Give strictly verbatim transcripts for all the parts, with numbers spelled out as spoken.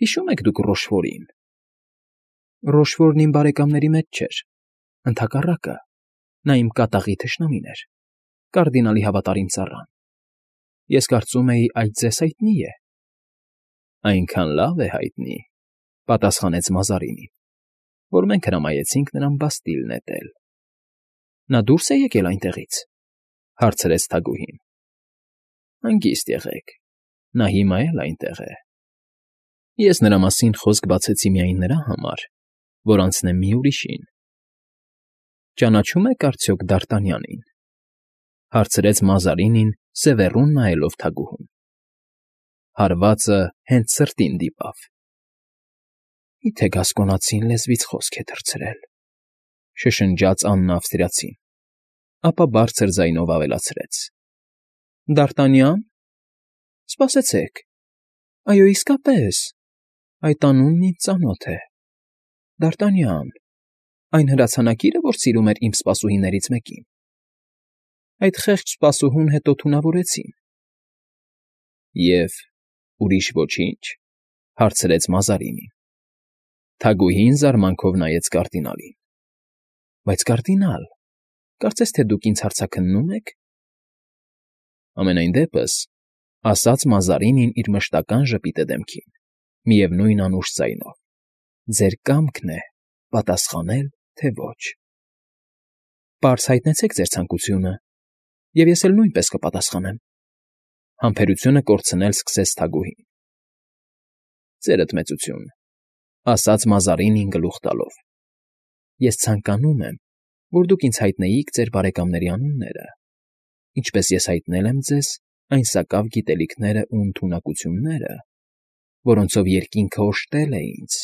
Հիշո՞ւմ եք դուք Ռոշֆորին։ Ռոշֆորն իմ բարեկամների մեջ չէր, ընդհակառակը, նա իմ կատաղի թշնամին էր, կարդինալի հավատարիմ ծառան։ Ես կարծում էի, այդ ձեզ հայտնի է։ Այնքան լավ է հայտնի, պատասխանեց Մազարինին, որ մենք հրամայեցինք նրան բաստիլ նետել։ Նա դուրս է եկել այնտեղից, հարցրեց թագուհին։ Հանգիստ եղեք, նա հիմա էլ այնտեղ է։ Ես նրա մասին խոսք բացեցի միայն նրա համար, որ անցնեմ մի ուրիշին։ Ճանաչո՞ւմ եք արդյոք Դարտանյանին, հարցրեց Մազարինին, սևեռուն նայելով թագուհուն։ Հարվածը հենց սրտին դիպավ։ Միթե գասկոնացին լեզվից խոսք է թռցրել, շշնջաց Աննա ավստրիացին, ապա բարձր ձայնով ավելացրեց. Դարտանյա՞ն։ Սպասեցեք, այո, իսկապես, այդ անունն ինձ ծանոթ է։ Դարտանյան, այն հրացանակիրը, որ սիրում էր իմ սպասուհիներից մեկին։ Այդ խեղճ սպասուհուն հետո թունավորեցին։ Եվ ուրիշ ոչինչ, հարցրեց Մազարինին։ Թագուհին զարմանքով նայեց կարդինալին։ Բայց կարդինալ, կարծես թե դուք ինձ հարցաքննո՞ւմ եք։ Ամենայն դեպս, ասաց Մազարինին իր մշտական ժպիտը դեմքին, միևնույն անուշ ձայնով, ձեր կամքն է պատասխանել, թե ոչ։ Պարզ հայտնեցեք ձեր ցանկությունը, և ես էլ նույնպես կպատասխանեմ, համբերությունը կորցնել սկսեց թագուհին։ Ձերդ մեծություն, ասաց Մազարինին գլուխ տալով։ Ես ցանկանում եմ, որ դուք ինձ հայտնեիք ձեր բարեկամների անունները, ինչպես ես հայտնել եմ ձեզ այն սակավ գիտելիքները ու ընդունակությունները, որոնցով երկինքը օժտել է ինձ։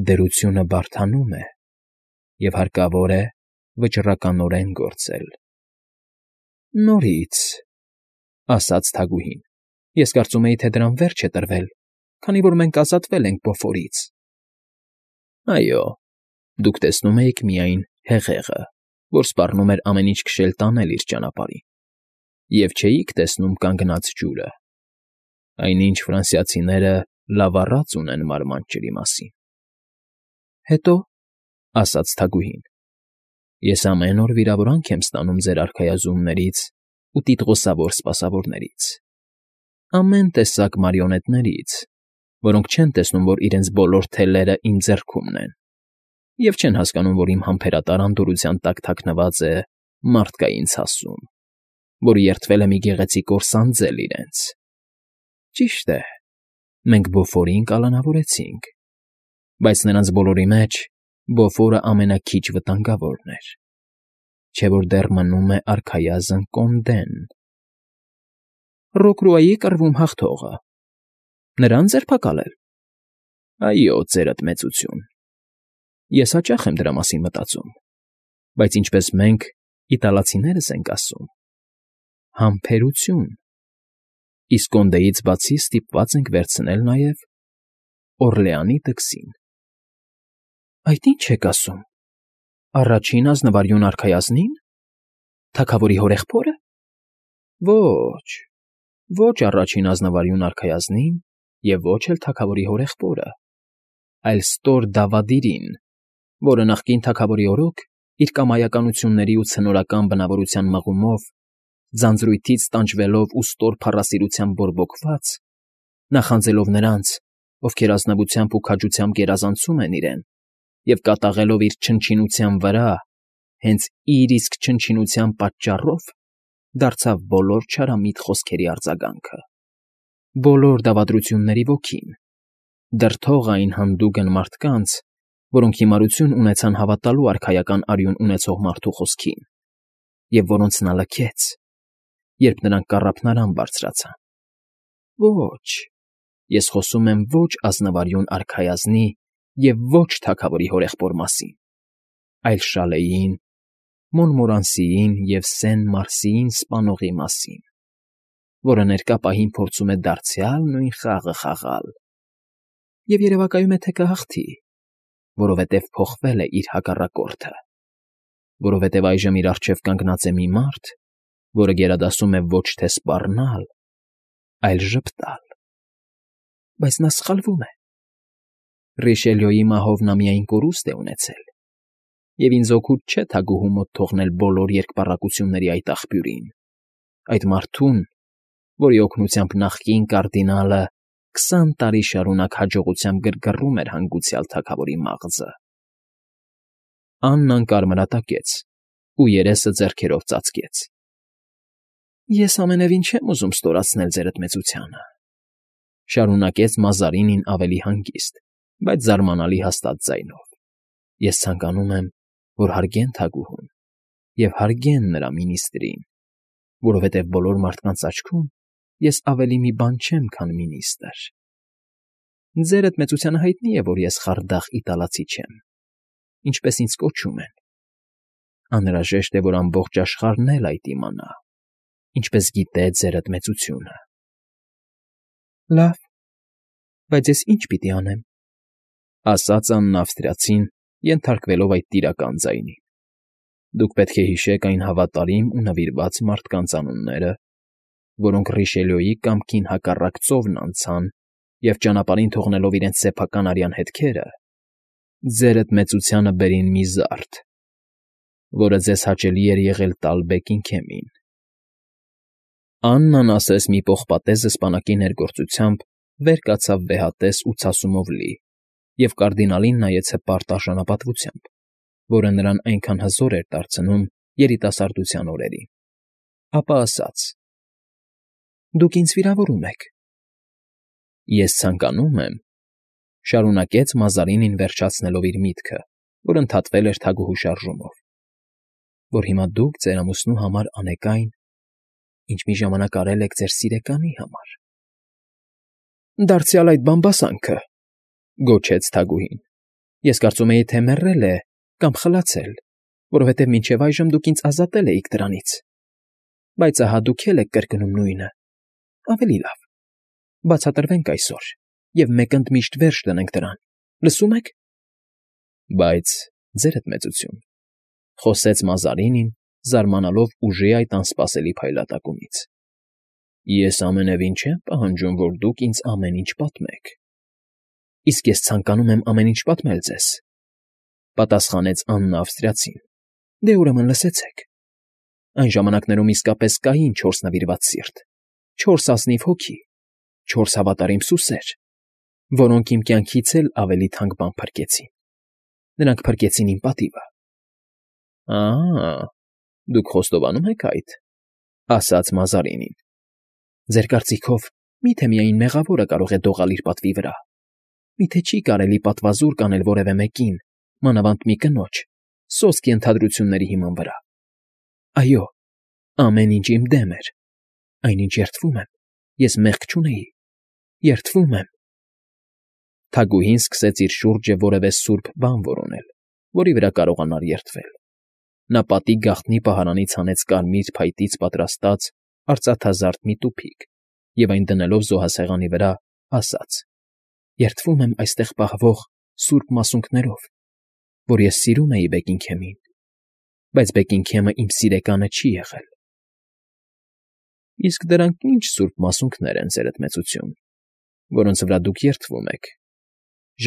Դրությունը բարդանում է, և հարկավոր է վճռականորեն գործել։ Նորից, ասաց թագուհին, ես կարծում էի, թե դրան վերջ է տրվել, քանի որ մենք ազատվել ենք Բոֆորից։ Այո, դուք տեսնում էիք միայն հեղեղը, որ սպառնում էր ամեն ինչ քշել տանել իր ճանապարհին, և չէիք տեսնում կանգնած ջուրը, այնինչ ֆրանսիացիները լավ առած ունեն մարմանդ ջրի մասին։ Հետո, ասաց թագուհին, ես ամեն օր վիրավորանք եմ ստանում ձեր արքայազններից ու տիտղոսավոր սպասավորներից, ամեն տեսակ մարիոնետներից, որոնք չեն տեսնում, որ իրենց բոլոր թելերը իմ ձեռքումն են, և չեն հասկանում, որ իմ համբերատար անդորրության տակ թաքնված է մարդկային ցասում, որ երդվել է մի գեղեցիկ օր սանձել իրենց։ Ճիշտ է, մենք Բոֆորին կալանավորեցինք, բայց նրանց բոլորի մեջ Բոֆորը ամենաքիչ վտանգավորն էր, չէ՞ որ դեռ մնում է արքայազն Կոնդեն։ Ռոկրուայի կռվում հաղթողը, նրան ձերբակալել։ Այո, ձերդ մեծություն։ Ես հաճախ եմ դրա մասին մտածում, բայց ինչպես մենք, իտալացիներս ենք ասում, համբերություն, իսկ Կոնդեից բացի ստիպված ենք վերցնել նաև Օրլեանի տքսին։ Այդ ի՞նչ եք ասում, առաջին ազնվարյուն արքայազնի՞ն, թագավորի հորեղբո՞րը։ Ոչ, ոչ առաջին ազնվարյուն արքայազնին և ոչ էլ թագավորի հորեղբորը, այլ ստոր Դավադիրին, որը նախկին թագավորի օրոք իր կամայականությունների ու ցնորական բնավորության մղումով, ձանձրույթից տանջվելով ու ստոր փառասիրությամբ բորբոքված, նախանձելով նրանց, ովքեր ազնվությամբ ու քաջությամբ գերազանցում են իրեն, և կատաղելով իր չնչինության վրա, հենց իր իսկ չնչինության պատճառով, դարձավ բոլոր չարամիտ խոսքերի արձագանքը, բոլոր դավադրությունների ոգին, դրդող այն հանդուգն մարդկանց, որոնք հիմարություն ունեցան հավատալու արքայական արյուն ունեցող մարդու խոսքին, և որոնց նա լքեց, երբ նրանք կառափնարան բարձրացան։ Ոչ, ես խոսում եմ ոչ ազնվարյուն արքայազնի և ոչ թագավորի հորեղբոր մասին, այլ Շալեին, Մոնմորանսիին և Սեն֊Մարսիին սպանողի մասին, որը ներկա պահին փորձում է դարձյալ նույն խաղը խաղալ, և երևակայում է, թե կհաղթի, որովհետև փոխվել է իր հակառակորդը, որովհետև այժմ իր առջև կանգնած է մի մարդ, որը գերադասում է ոչ թե սպառնալ, այլ ժպտալ։ բայց նա սխալվում է։ Ռիշելյոյի մահով նա միայն կորուստ է ունեցել, և ինձ օգուտ չէ թագուհու մոտ թողնել բոլոր երկպառակտությունների այդ աղբյուրին, այդ մարդուն, որի օգնությամբ նախկին կարդինալը քսան տարի շարունակ հաջողությամբ գրգռում էր հանգուցյալ թագավորի մաղձը։ Աննան կարմրատակեց ու երեսը ձեռքերով ծածկեց։ Ես ամենևին չեմ ուզում ստորացնել ձերդ մեծությանը,֊ շարունակեց Մազարինին ավելի հանգիստ, բայց զարմանալի հաստատ ձայնով։ Ես ցանկանում եմ, որ հարգեն թագուհուն և հարգեն նրա մինիստրին, որովհետև բոլոր մարդկանց աչքում ես ավելի մի բան չեմ, քան մինիստր։ Ձերդ մեծությանը հայտնի է, որ ես խարդախ իտալացի չեմ, ինչպես ինձ կոչում են։ Անհրաժեշտ է, որ ամբողջ աշխարհն էլ այդ իմանա, ինչպես գիտե ձերդ մեծությունը։ Լավ, բայց ես ի՞նչ պիտի անեմ,֊ ասաց Աննա Ավստրիացին, ենթարկվելով այդ տիրական ձայնին։ Դուք պետք է հիշեք այն հավատարիմ ու նվիրված մարդկանց անունները, որոնք Ռիշելյոյի կամքին հակառակ ծովն անցան և ճանապարհին թողնելով իրենց սեփական արյան հետքերը, ձերդ մեծությանը բերին մի զարդ, որը ձեզ հաճելի էր եղել տալ Բեքինգհեմին։ Աննան ասես մի պողպատե զսպանակի ներգործությամբ վեր կացավ վեհատես ու ցասումով լի և կարդինալին նայեց հպարտ արժանապատվությամբ, որը նրան այնքան հզոր էր դարձնում երիտասարդության օրերին, ապա ասաց. «Դուք ինձ վիրավորում եք»։ Ես ցանկանում եմ,֊ շարունակեց Մազարինին վերջացնելով իր միտքը, որ ընդհատվել էր թագուհու շարժումով,֊ որ հիմա դուք ձեր ամուսնու համար անեք այն, ինչ մի ժամանակ արել եք ձեր սիրեկանի համար։ «Դարձյալ այդ բամբասանքը,֊ գոչեց թագուհին,֊ ես կարծում էի, թե մեռել է կամ խլացել, որովհետև մինչև այժմ դուք ինձ ազատել էիք դրանից, բայց ահա դուք էլ եք կրկնում նույնը։ Ավելի լավ, բացատրվենք այսօր և մեկ ընդմիշտ վերջ դնենք դրան, լսո՞ւմ եք»։ Բայց, ձերդ մեծություն,֊ խոսեց Մազարինին, զարմանալով ուժի այդ անսպասելի փայլատակումից,֊ ես ամենևին չեմ պահանջում, որ դուք ինձ ամեն ինչ պատմեք։ Իսկ ես ցանկանում եմ ամեն ինչ պատմել ձեզ,֊ պատասխանեց Աննա Ավստրիացին։ Դե ուրեմն լսեցեք։ Այն ժամանակներում իսկապես կային չորս նվիրված սիրտ, չորս ազնիվ հոգի, չորս հավատարիմ սուսեր, որոնք իմ կյանքից էլ ավելի թանկ բան փրկեցին։ Նրանք փրկեցին իմ պատիվը։ Ա՜, դուք խոստովանում եք այդ,֊ ասաց Մազարինին։ Ձեր կարծիքով մի՞թե միայն մեղավորը կարող է դողալ իր պատվի վրա։ Մի՞թե չի կարելի պատվազուր կանել որևէ մեկին, մանավանդ մի կնոջ, սոսկ ենթադրությունների հիման վրա։ Այո, ամեն ինչ իմ դեմ էր, այնինչ երդվում եմ, ես մեղք չունեի, երդվում եմ։ Թագուհին սկսեց իր շուրջը որևէ սուրբ բան որոնել, որի վրա կարողանար երդվել։ Նա պատի գաղտնի պահարանից հանեց կարմիր փայտից պատրաստած արծաթազարդ մի տուփիկ և այն դնելով զոհասեղանի վրա, ասաց. «Երդվում եմ այստեղ պահվող սուրբ մասունքներով, որ ես սիրում էի Բեքինգհեմին, բայց Բեքինգհեմը իմ սիրեկանը չի եղել»։ Իսկ դրանք ի՞նչ սուրբ մասունքներ են, ձերդ մեծություն, որոնց վրա դուք երդվում եք,֊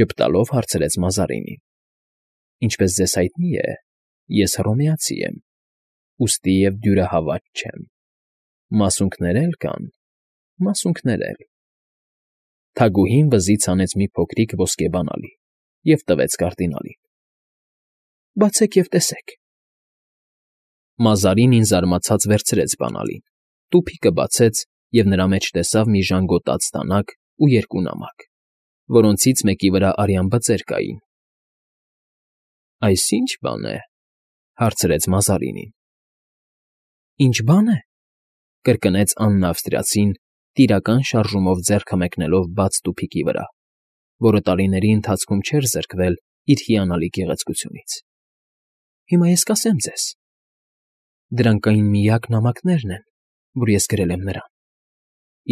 ժպտալով հարցրեց Մազարինին։ Ինչպես ձեզ հայտնի է, ես հռոմեացի եմ, ուստի և դյուրահավատ չեմ։ Մասունքներ էլ կան, մասունքներ էլ… Թագուհին վզից հանեց մի փոքրիկ ոսկե բանալի և տվեց կարդինալին։ Բացեք և տեսեք։ Մազարինին զարմացած վերցրեց բանալին, տուփիկը բացեց և նրա մեջ տեսավ մի ժանգոտած դանակ ու երկու նամակ, որոնցից մեկի վրա արյան բծեր կային։ Այս ի՞նչ բան է,֊ հարցրեց Մազարինին։ Ի՞նչ բան է,֊ կրկնեց Աննա Ավստրիացին, տիրական շարժումով ձեռքը մեկնելով բաց տուփիկի վրա, որը տարիների ընթացքում չէր զրկվել իր հիանալի գեղեցկությունից։ Հիմա ես կասեմ ձեզ. դրանք այն միակ նամակներն են, որ ես գրել եմ նրան,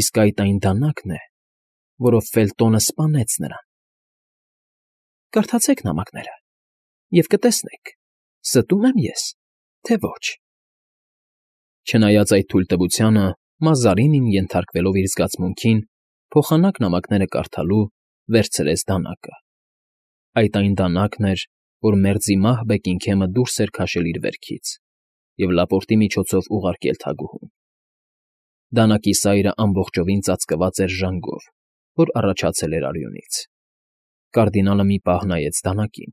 իսկ այդ այն դանակն է, որով Ֆելտոնը սպանեց նրան։ Կարդացեք նամակները և կտեսնեք, ստո՞ւմ եմ ես, թե ոչ։ Չնայած այդ թույլտվությանը, Մազարինին, ենթարկվելով իր զգացմունքին, փոխանակ նամակները կարդալու վերցրեց դանակը։ Այդ այն դանակն էր, որ մերձի մահ Բեքինգհեմը դուրս էր քաշել իր վերքից և լապորտի միջոցով ուղարկել թագուհուն։ Դանակի սայրը ամբողջովին ծածկված էր ժանգով, որ առաջացել էր արյունից։ Կարդինալը մի պահ նայեց դանակին,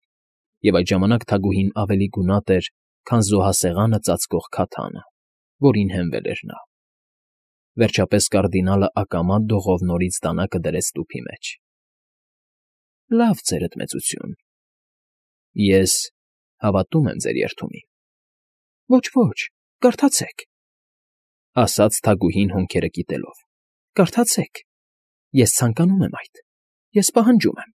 և այդ ժամանակ թագուհին ավելի գունատ էր, քան զոհասեղանը ծածկող քաթանը, որին հենվել էր նա։ Վերջապես կարդինալը ակամա դողով նորից դանակը դրեց տուփի մեջ։ ֊ Լավ, ձերդ մեծություն, ես հավատում եմ ձեր երդումին։ ֊ Ոչ, ոչ, կարդացեք,֊ ասաց թագուհին հոնքերը կիտելով,֊ կարդացեք, ես ցանկանում եմ այդ, ես պահանջում եմ։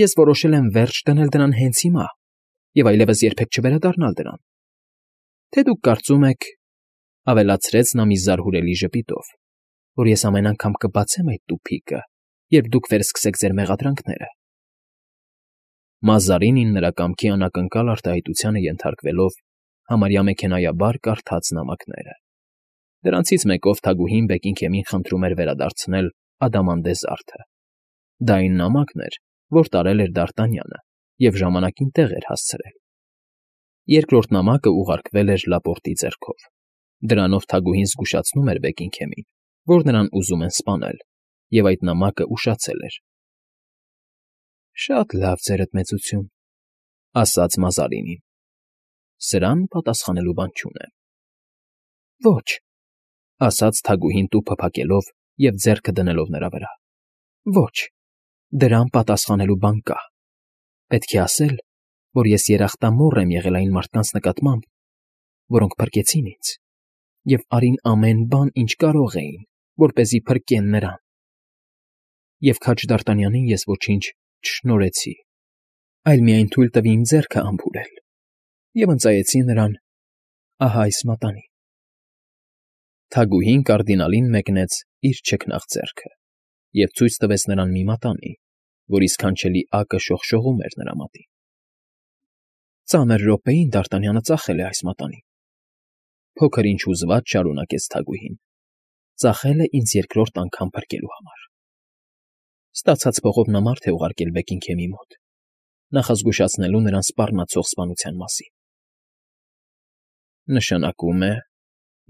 Ես որոշել եմ վերջ դնել դրան հենց հիմա և այլևս երբեք չվերադառնալ դրան։ Թե դուք կարծում եք,֊ ավելացրեց նա մի զարհուրելի ժպիտով,֊ որ ես ամեն անգամ կբացեմ այդ տուփիկը, երբ դուք վերսկսեք ձեր մեղադրանքները… Մազարինին նրա կամքի անակնկալ արտահայտությանը ենթարկվելով համարյա մեքենայաբար կարդաց նամակները։ Դրանցից մեկով թագուհին Բեքինգհեմին խնդրում էր վերադարձնել Ադամանդե զարդը։ Դա այն նամակն էր, որ տարել էր Դ'Արտանյանը և ժամանակին տեղ էր հասցրել։ Երկրորդ նամակը ուղարկվել էր Լապորտի ձեռքով։ Դրանով թագուհին զգուշացնում էր Բեքինգհեմին, որ նրան ուզում են սպանել, և այդ նամակը ուշացել էր։ ֊ Շատ լավ, ձերդ մեծություն,֊ ասաց Մազարինին։֊ Սրան պատասխանելու բան չունեմ։ ֊ Ոչ,֊ ասաց թագուհին տուփը փակելով և ձեռքը դնելով նրա վրա,֊ ոչ, դրան պատասխանելու բան կա։ Պետք է ասել, որ ես երախտամոռ եմ եղել այն մարդկանց նկատմամբ, որոնք փրկեցին ինձ, և արին ամեն բան, ինչ կարող էին, որպեսզի փրկեն նրան։ Եվ քաջ Դ'Արտանյանին ես ոչինչ չշնորհեցի, այլ միայն թույլ տվի իմ ձեռքը ամփուրել և ընծայեցի նրան ահա այս մատանին։ Թագուհին կարդինալին մեկնեց իր չքնաղ ձեռքը և ցույց տվեց նրան մի մատանի, որի սքանչելի ակը շողշողում էր նրա մատին։ Ծանր րոպեին Դ'Արտանյանը ծախել է այս մատանին,֊ փոքր-ինչ հուզված շարունակեց թագուհին,֊ ծախել է ինձ երկրորդ անգամ փրկելու համար։ Ստացած փողով նա մարդ է ուղարկել Բեքինգհեմի մոտ, նախազգուշացնելու նրան սպառնացող սպանության մասին։ ֊ Նշանակում է,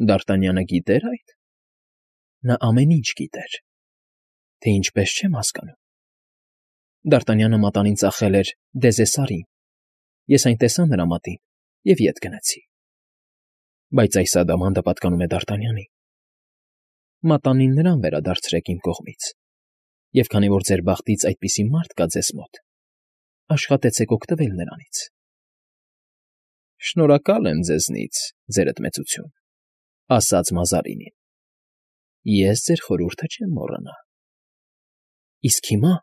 Դ'Արտանյանը գիտե՞ր այդ։ ֊ Նա ամեն ինչ գիտեր։ ֊ Թե ինչպես, չեմ հասկանում։ Դ'Արտանյանը մատանին ծախել էր Դեզեսարին, ես այն տեսա նրա մատին և ետ գնացի։ Բայց այս ադամանդը պատկանում է Դ'Արտանյանին։ Մատանին նրան վերադարձրեք իմ կողմից, և քանի որ ձեր բախտից այդպիսի մարդ կա ձեզ մոտ, աշխատեցեք օգտվել նրանից։ ֊ Շնորհակալ եմ ձեզնից, ձերդ մեծություն,֊ ասաց Մազարինին։ Ես ձեր խորհուրդը չեմ մոռանա։ ֊ Իսկ հիմա,֊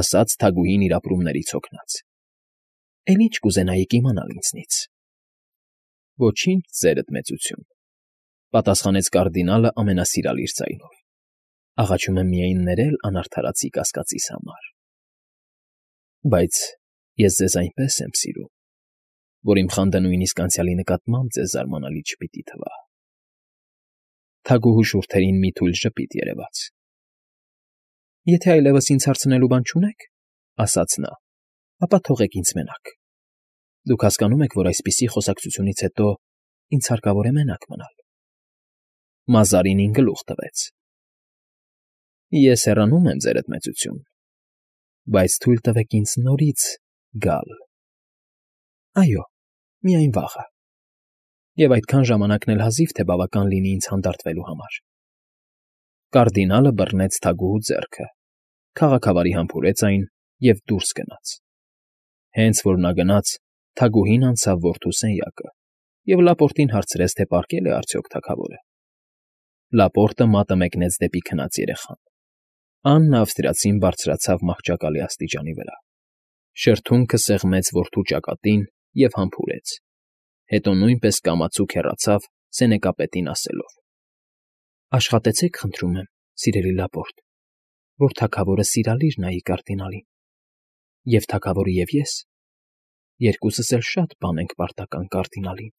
ասաց թագուհին իր ապրումներից հոգնած,֊ էլի ինչ կուզենայիք իմանալ ինձնից։ ֊ Ոչինչ, ձերդ մեծություն,֊ պատասխանեց կարդինալը ամենասիրալիր ձայնով,֊ աղաչում եմ միայն ներել անարդարացի կասկածիս համար։ ֊ Բայց ես ձեզ այնպես եմ սիրում, որ իմ խանդը նույնիսկ անցյալի նկատմամբ ձեզ զարմանալի չպիտի թվա։ Թագուհու շուրթերին մի թույլ ժպիտ երևաց։ ֊ Եթե այլևս ինձ հարցնելու բան չունեք,֊ ասաց նա,֊ ապա թողեք ինձ մենակ։ Դուք հասկանում եք, որ այսպիսի խոսակցությունից հետո ինձ հարկավոր է մենակ մնալ։ Մազարինին գլուխ տվեց։ ֊ Ես հեռանում եմ, ձերդ մեծություն, բայց թույլ տվեք ինձ նորից գալ։ ֊ Այո, միայն վաղը։ Եվ այդքան ժամանակն էլ հազիվ թե բավական լինի ինձ հանդարտվելու համար։ Կարդինալը բռնեց թագուհու ձեռքը, քաղաքավարի համբուրեց այն և դուրս գնաց։ Հենց որ նա գնաց, թագուհին անցավ որդու սենյակը և Լապորտին հարցրեց, թե պառկե՞լ է արդյոք թագավորը։ Լապորտը մատը մեկնեց դեպի քնած երեխան։ Աննը ավստրիացին բարձրացավ մահճակալի աստիճանի վրա, շրթունքը սեղմեց որդու ճակատին և համբուրեց, հետո նույնպես կամացուկ հեռացավ սենեկապետին ասելով. Աշխատեցեք, խնդրում եմ, սիրելի Լապորտ, որ թագավորը սիրալիր նայի կարդինալին, և թագավորը և ես երկուսս էլ շատ բան ենք պարտական կարդինալին։